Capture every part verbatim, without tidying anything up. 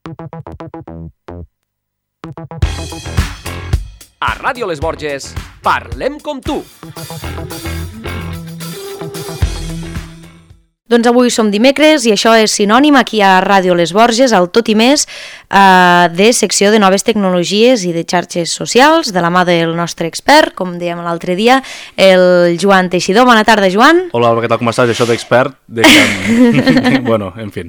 A Ràdio Les Borges, parlem com tu. Doncs avui som dimecres i això és sinònim aquí a Ràdio Les Borges, al Tot i Més, eh, de secció de noves tecnologies i de xarxes socials, de la mà del nostre expert, com dèiem l'altre dia, el Joan Teixidor. Bona tarda, Joan. Hola, què tal, com estàs? Això d'expert, de que... bueno, en fi.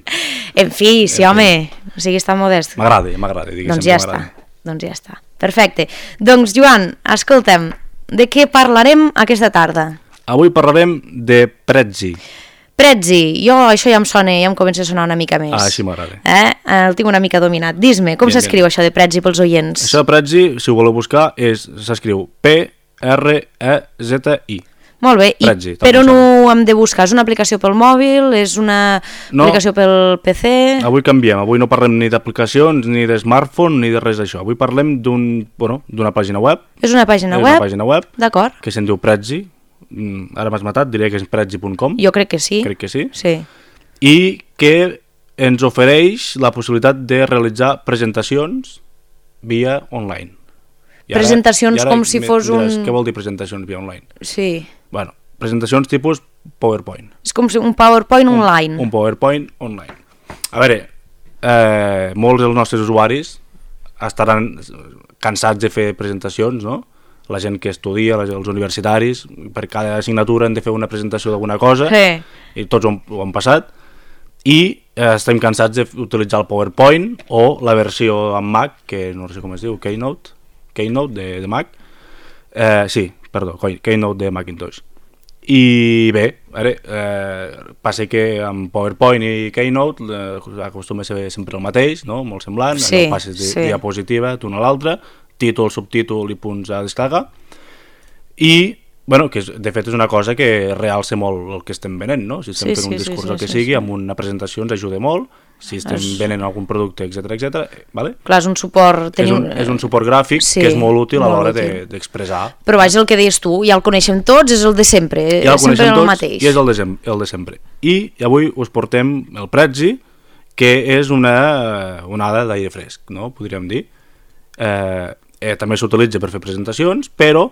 En fi, sí, en home, fi. O sigui, està modest. M'agrada, m'agrada, diguéssim. Doncs ja està, doncs ja està. Perfecte. Doncs, Joan, escolta'm, de què parlarem aquesta tarda? Avui parlarem de Prezi. Prezi, jo això ja em sona, ja em comença a sonar una mica més. Ah, així m'agrada. Eh? El tinc una mica dominat. Dis-me, com s'escriu això de Prezi pels oients? Això de Prezi, si ho voleu buscar, s'escriu P R E Z I. Molt bé, Prezi, i per on ho hem de buscar? És una aplicació pel mòbil? És una no, aplicació pel P C? Avui canviem, avui no parlem ni d'aplicacions, ni de smartphone, ni de res d'això. Avui parlem d'un, bueno, d'una pàgina web. És una pàgina és web? És una pàgina web. D'acord. Que se'n diu Prezi. Ara m'has matat, diria que és prezi punt com. Jo crec que sí. Crec que sí. Sí. I que ens ofereix la possibilitat de realitzar presentacions via online. I ara, presentacions i ara com si fos diràs, un... Què vol dir presentacions via online? Sí. Bueno, presentacions tipus PowerPoint. És com si un PowerPoint un, online. Un PowerPoint online. A veure, eh, molts dels nostres usuaris estaran cansats de fer presentacions, no? La gent que estudia, els universitaris, per cada assignatura hem de fer una presentació d'alguna cosa, sí. I tots ho, ho han passat, i eh, estem cansats d'utilitzar el PowerPoint o la versió en Mac, que no sé com es diu, Keynote, Keynote de, de Mac, eh, sí, perdó, Keynote de Macintosh. I bé, ara, eh, passa que amb PowerPoint i Keynote eh, acostuma a ser sempre el mateix, no? Molt semblant, sí, allò passes de sí. diapositiva d'una a l'altra, títol, subtítol i punts a descarregar, i bueno, que és, de fet és una cosa que realça molt el que estem venent, no? Si estem sí, fent un sí, discurs sí, el que sí, sigui, sí. amb una presentació ens ajuda molt, si estem es... venent algun producte, etcètera, etcètera, vale? Clar, és un suport... És un, és un suport gràfic sí, que és molt útil molt a l'hora d'expressar. De, Però vaja, el que deies tu, ja el coneixem tots, és el de sempre, ja el sempre el tots, mateix. I és el de, sem el de sempre. I avui us portem el Prezi, que és una onada d'aire fresc, no? Podríem dir. Eh, eh, també s'utilitza per fer presentacions, però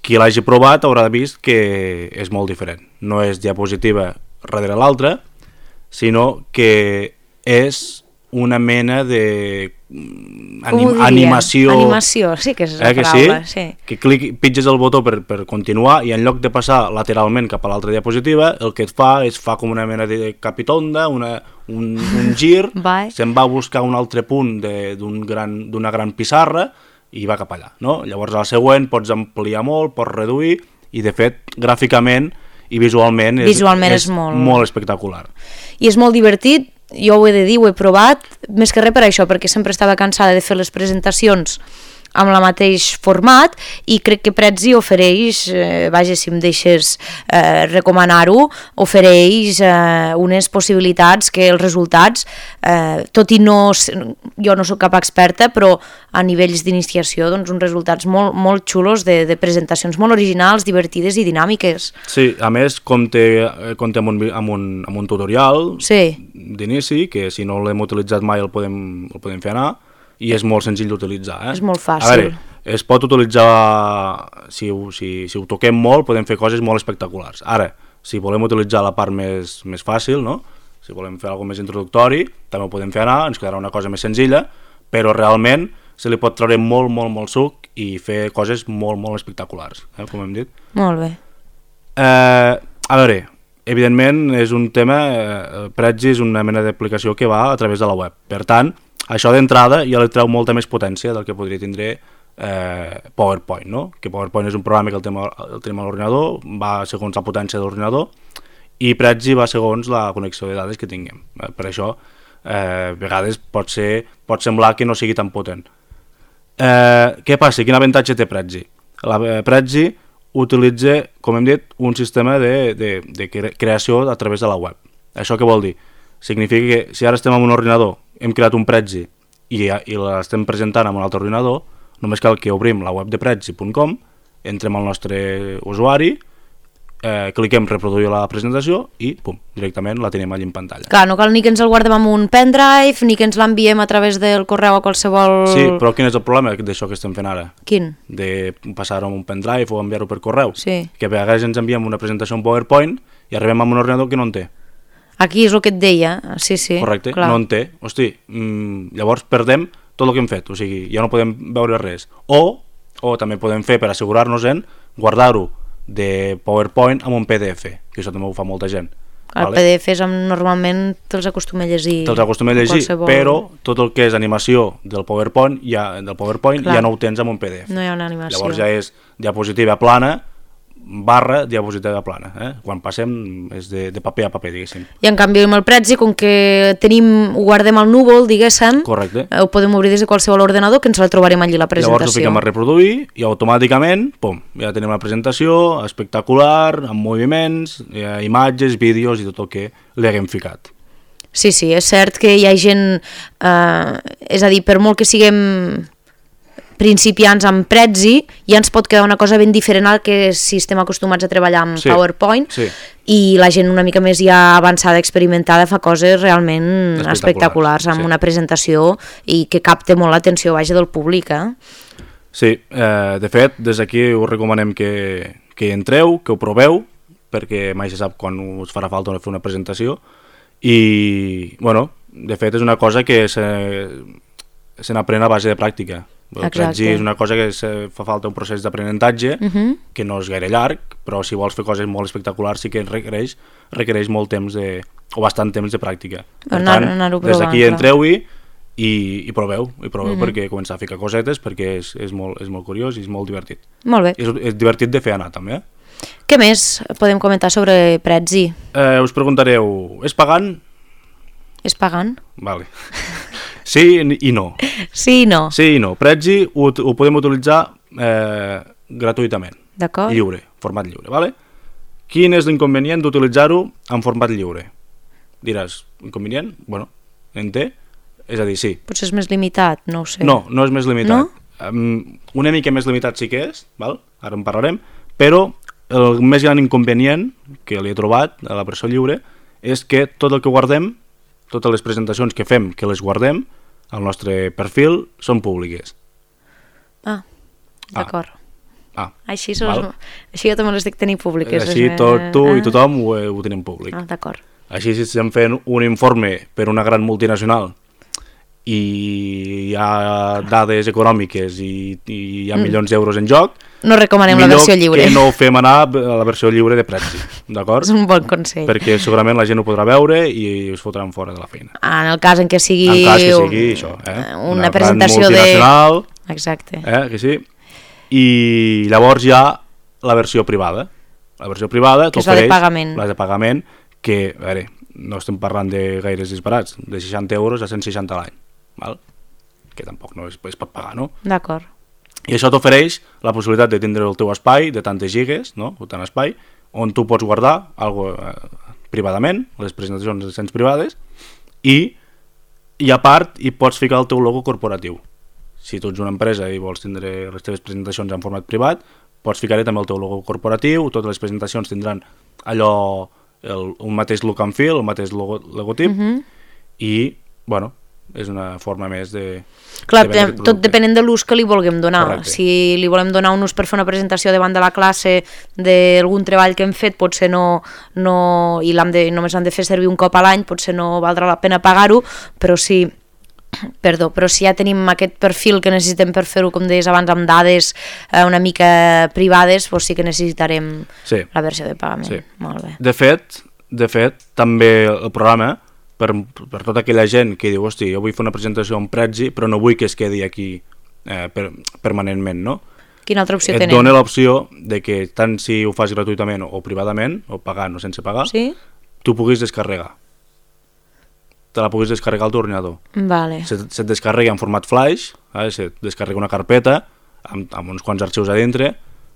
qui l'hagi provat haurà vist que és molt diferent. No és diapositiva darrere l'altra, sinó que és una mena de anim animació. Animació, sí que és la eh, que paraula. Sí? Sí. Que clic, pitges el botó per, per continuar i en lloc de passar lateralment cap a l'altra diapositiva, el que et fa és fa com una mena de capitonda, una, un, un gir, se'n va a buscar un altre punt d'una gran, d'una gran pissarra i va cap allà, no? Llavors al següent pots ampliar molt, pots reduir i de fet gràficament i visualment és, visualment és, és molt... molt espectacular. I és molt divertit, jo ho he de dir, ho he provat, més que res per això, perquè sempre estava cansada de fer les presentacions amb el mateix format i crec que Prezi ofereix, eh, vaja, si em deixes eh, recomanar-ho, ofereix eh, unes possibilitats que els resultats, eh, tot i no, jo no soc cap experta, però a nivells d'iniciació, doncs uns resultats molt, molt xulos de, de presentacions molt originals, divertides i dinàmiques. Sí, a més compta, compta amb, un, amb, un, amb un tutorial sí. d'inici, que si no l'hem utilitzat mai el podem, el podem fer anar, i és molt senzill d'utilitzar. Eh? És molt fàcil. A veure, es pot utilitzar, si ho, si, si ho toquem molt, podem fer coses molt espectaculars. Ara, si volem utilitzar la part més, més fàcil, no? Si volem fer alguna més introductori, també ho podem fer anar, ens quedarà una cosa més senzilla, però realment se li pot treure molt, molt, molt suc i fer coses molt, molt espectaculars, eh? Com hem dit. Molt bé. Eh, a veure, evidentment és un tema, eh, Prezi és una mena d'aplicació que va a través de la web, per tant, això d'entrada ja li treu molta més potència del que podria tindre eh, PowerPoint, no? Que PowerPoint és un programa que el tenim, el tenim a l'ordinador, va segons la potència de l'ordinador, i Prezi va segons la connexió de dades que tinguem. Per això, eh, a vegades pot, ser, pot semblar que no sigui tan potent. Eh, què passa? Quin avantatge té Prezi? La eh, Prezi utilitza, com hem dit, un sistema de, de, de creació a través de la web. Això què vol dir? Significa que si ara estem en un ordinador, hem creat un Prezi i, i l'estem presentant en un altre ordinador, només cal que obrim la web de prezi punt com, entrem al nostre usuari, eh, cliquem reproduir la presentació i pum, directament la tenim allà en pantalla. Clar, no cal ni que ens el guardem amb un pendrive, ni que ens l'enviem a través del correu a qualsevol... Sí, però quin és el problema d'això que estem fent ara? Quin? De passar-ho amb un pendrive o enviar-ho per correu. Sí. Que a vegades ens enviem una presentació en PowerPoint i arribem amb un ordinador que no en té. Aquí és el que et deia, sí, sí. Correcte, clar. no en té. Hosti, mmm, llavors perdem tot el que hem fet, o sigui, ja no podem veure res. O, o també podem fer, per assegurar-nos en, guardar-ho de PowerPoint amb un P D F, que això també ho fa molta gent. El vale? P D Fs normalment te'ls acostuma a llegir. Te'ls acostuma a llegir, qualsevol... però tot el que és animació del PowerPoint, ja, del PowerPoint ja no ho tens amb un P D F. No hi ha una animació. Llavors ja és diapositiva plana, barra diapositiva plana. Eh? Quan passem és de, de paper a paper, diguéssim. I en canvi amb el Prezi, com que tenim, ho guardem al núvol, diguéssim, correcte, ho podem obrir des de qualsevol ordenador, que ens la trobarem allí la presentació. Llavors ho fiquem a reproduir i automàticament, pum, ja tenim la presentació espectacular, amb moviments, eh, imatges, vídeos i tot el que li haguem ficat. Sí, sí, és cert que hi ha gent, eh, és a dir, per molt que siguem principiants amb Prezi, ja ens pot quedar una cosa ben diferent al que si estem acostumats a treballar amb sí, PowerPoint, sí. I la gent una mica més ja avançada, experimentada, fa coses realment espectaculars, espectaculars amb sí. una presentació i que capta molt l'atenció vaja del públic. Eh? Sí, eh, de fet, des d'aquí us recomanem que, que hi entreu, que ho proveu, perquè mai se sap quan us farà falta fer una presentació, i, bueno, de fet és una cosa que se, se n'aprèn a base de pràctica. El Prezi és una cosa que se fa falta un procés d'aprenentatge, uh-huh. que no és gaire llarg, però si vols fer coses molt espectaculars sí que requereix, requereix molt temps de, o bastant temps de pràctica. Per anar, tant, anar des d'aquí entreu-hi i, i proveu, i proveu uh-huh. perquè començar a ficar cosetes, perquè és, és, molt, és molt curiós i és molt divertit. Molt bé. És, és divertit de fer anar també. Eh? Què més podem comentar sobre Prezi? Eh, us preguntareu, és pagant? És pagant? Vale. Sí i no. Sí i no. Sí i no. Prezi ho, ho podem utilitzar eh, gratuïtament. D'acord. Lliure, format lliure, vale? Quin és l'inconvenient d'utilitzar-ho en format lliure? Diràs, inconvenient? Bueno, en té? És a dir, sí. Potser és més limitat, no ho sé. No, no és més limitat. No? Um, una mica més limitat sí que és, val? Ara en parlarem, però el més gran inconvenient que li he trobat a la versió lliure és que tot el que guardem, totes les presentacions que fem, que les guardem al nostre perfil, són públiques. Ah, d'acord. Ah, així, sos, així jo també les dic tenir públiques. Així tot tu ah. i tothom ho, ho tenim públic. Ah, d'acord. Així si estem fent un informe per una gran multinacional i hi ha dades econòmiques i, i hi ha mm. milions d'euros en joc, no recomanem la versió lliure. Millor que no fem anar a la versió lliure de Prezi, d'acord? És un bon consell. Perquè segurament la gent ho podrà veure i us fotran fora de la feina. Ah, en el cas en què sigui... En cas que sigui això, eh? Una, una presentació de... Exacte. Eh, que sí? I llavors hi ha la versió privada. La versió privada que és la de pagament. La de pagament, que, a veure, no estem parlant de gaires disparats, de seixanta euros a cent seixanta a l'any, val? Que tampoc no es, es pot pagar, no? D'acord. I això t'ofereix la possibilitat de tindre el teu espai de tantes gigas, no? O tant espai, on tu pots guardar algo eh, privadament, les presentacions les tens privades, i, i a part hi pots ficar el teu logo corporatiu. Si tu ets una empresa i vols tindre les teves presentacions en format privat, pots ficar-hi també el teu logo corporatiu, totes les presentacions tindran allò, el, un mateix look and feel, el mateix logo, logotip, uh-huh. i, bueno, és una forma més de... Clar, de tot depenent de l'ús que li vulguem donar. Correcte. Si li volem donar un ús per fer una presentació davant de la classe d'algun treball que hem fet, potser no, no i l'hem de, només l'hem de fer servir un cop a l'any, potser no valdrà la pena pagar-ho, però si, perdó, però si ja tenim aquest perfil que necessitem per fer-ho, com deies abans, amb dades eh, una mica privades, doncs sí que necessitarem sí. la versió de pagament. Sí. Molt bé. De fet, de fet, també el programa, Per, per tota aquella gent que diu, hosti, jo vull fer una presentació en Prezi, però no vull que es quedi aquí eh, per, permanentment, no? Quina altra opció Et tenim? Et dona l'opció de que tant si ho fas gratuïtament o privadament, o pagant o sense pagar, sí? tu puguis descarregar. Te la puguis descarregar al teu ordinador. Vale. Se, se't descarrega en format flash, eh? Se't descarrega una carpeta amb, amb uns quants arxius a dintre,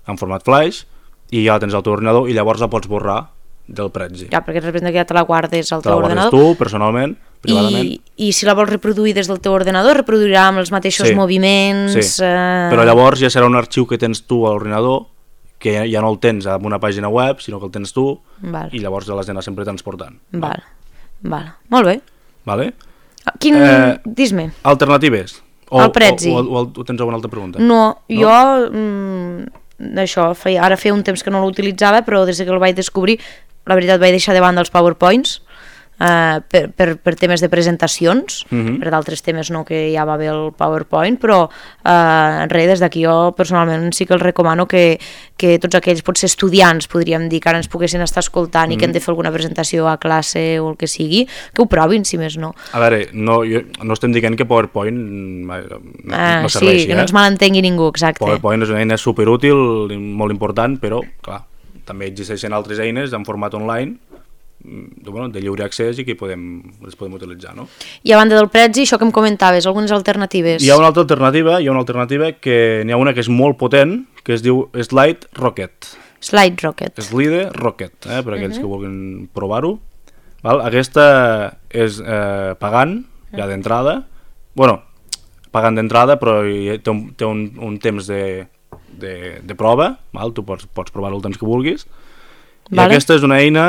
en format flash, i ja la tens al teu ordinador i llavors la pots borrar del Prezi. Ja, perquè representa que ja te la guardes al te teu Te ordenador. la guardes tu, personalment, privadament. I, I si la vols reproduir des del teu ordenador, reproduirà amb els mateixos sí. moviments... Sí. Eh... Però llavors ja serà un arxiu que tens tu a l'ordinador, que ja, ja no el tens en una pàgina web, sinó que el tens tu, Val. i llavors l'has d'anar sempre transportant. Val. Val. Molt bé. Vale? Quin... Eh, Dis-me. Alternatives? O, El Prezi. O, o, o, o tens alguna altra pregunta? No, no? jo... Mm, això, feia, ara feia un temps que no l'utilitzava, però des que el vaig descobrir, la veritat vaig deixar de banda els PowerPoints, Uh, per, per, per temes de presentacions, uh-huh. per d'altres temes no, que ja va bé el PowerPoint, però uh, res, des d'aquí jo personalment sí que els recomano que, que tots aquells, potser estudiants, podríem dir, que ara ens poguessin estar escoltant uh-huh. i que hem de fer alguna presentació a classe o el que sigui, que ho provin, si més no. A veure, no, jo, no estem dient que PowerPoint no, uh, no serveixi. Sí, que eh? no ens malentengui ningú, exacte. PowerPoint és una eina superútil, molt important, però, clar, també existeixen altres eines en format online de, bueno, de lliure accés i que podem, les podem utilitzar, no? I a banda del Prezi, això que em comentaves, algunes alternatives? Hi ha una altra alternativa, hi ha una alternativa que n'hi ha una que és molt potent, que es diu Slide Rocket. Slide Rocket. Slide Rocket, eh, per aquells uh-huh. que vulguin provar-ho. Val? Aquesta és eh, pagant, ja d'entrada. Bueno, pagant d'entrada, però té un, té un, un temps de, de, de prova, val? Tu pots, pots provar-ho el temps que vulguis. I vale. Aquesta és una eina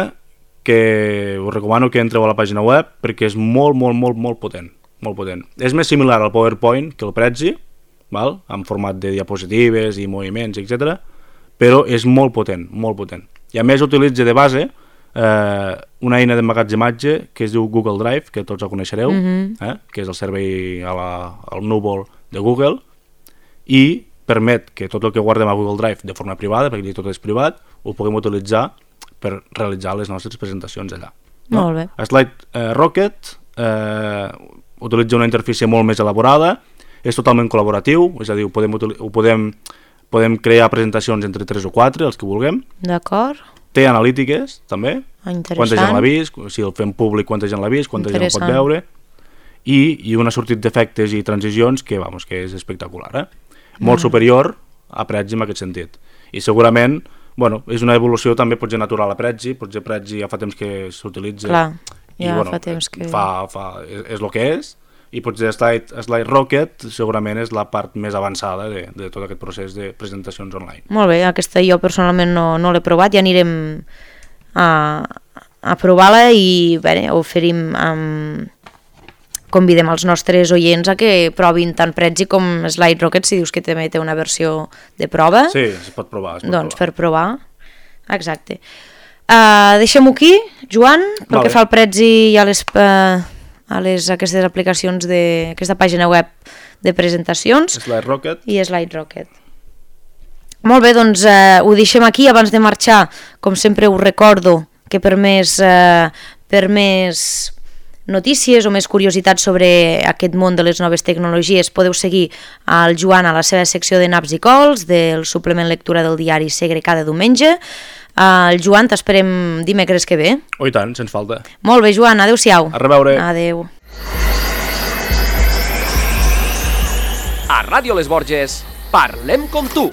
que us recomano que entreu a la pàgina web perquè és molt, molt, molt, molt potent. Molt potent. És més similar al PowerPoint que el Prezi, val? En format de diapositives i moviments, etcètera. Però és molt potent, molt potent. I a més utilitza de base eh, una eina d'emmagatzematge que es diu Google Drive, que tots la coneixereu, mm-hmm. eh? que és el servei a la, al núvol de Google, i permet que tot el que guardem a Google Drive de forma privada, perquè tot és privat, ho puguem utilitzar per realitzar les nostres presentacions allà. No? Molt bé. Slide eh, Rocket eh, utilitza una interfície molt més elaborada, és totalment col·laboratiu, és a dir, ho podem, ho podem, podem crear presentacions entre tres o quatre, els que vulguem. D'acord. Té analítiques, també. Interessant. Quanta gent l'ha vist, si el fem públic, quanta gent l'ha vist, quanta gent el pot veure. I, i un sortit d'efectes i transicions que, vamos, que és espectacular. Eh? Molt mm. superior a Prezi en aquest sentit. I segurament bueno, és una evolució també potser natural a Prezi, potser Prezi ja fa temps que s'utilitza. Clar, ja i, bueno, fa temps que... Fa, fa, és, és el que és, i potser Slide, Slide Rocket segurament és la part més avançada de, de tot aquest procés de presentacions online. Molt bé, aquesta jo personalment no, no l'he provat, ja anirem a, a provar-la i bé, oferim... Um, convidem els nostres oients a que provin tant Prezi com Slide Rocket, si dius que també té una versió de prova. Sí, es pot provar. Es pot doncs provar. Per provar, exacte. Uh, Deixem-ho aquí, Joan, pel vale. Que fa el Prezi i a les, uh, a les aquestes aplicacions d'aquesta pàgina web de presentacions. Slide Rocket. I Slide Rocket. Molt bé, doncs uh, ho deixem aquí. Abans de marxar, com sempre us recordo que per més... Uh, per més notícies o més curiositats sobre aquest món de les noves tecnologies podeu seguir al Joan a la seva secció de naps i cols del suplement lectura del diari Segre cada diumenge. El Joan t'esperem dimecres que ve. Oh, i tant, sens falta. Molt bé, Joan, adeu-siau. A reveure. Adeu. A Ràdio Les Borges, parlem com tu.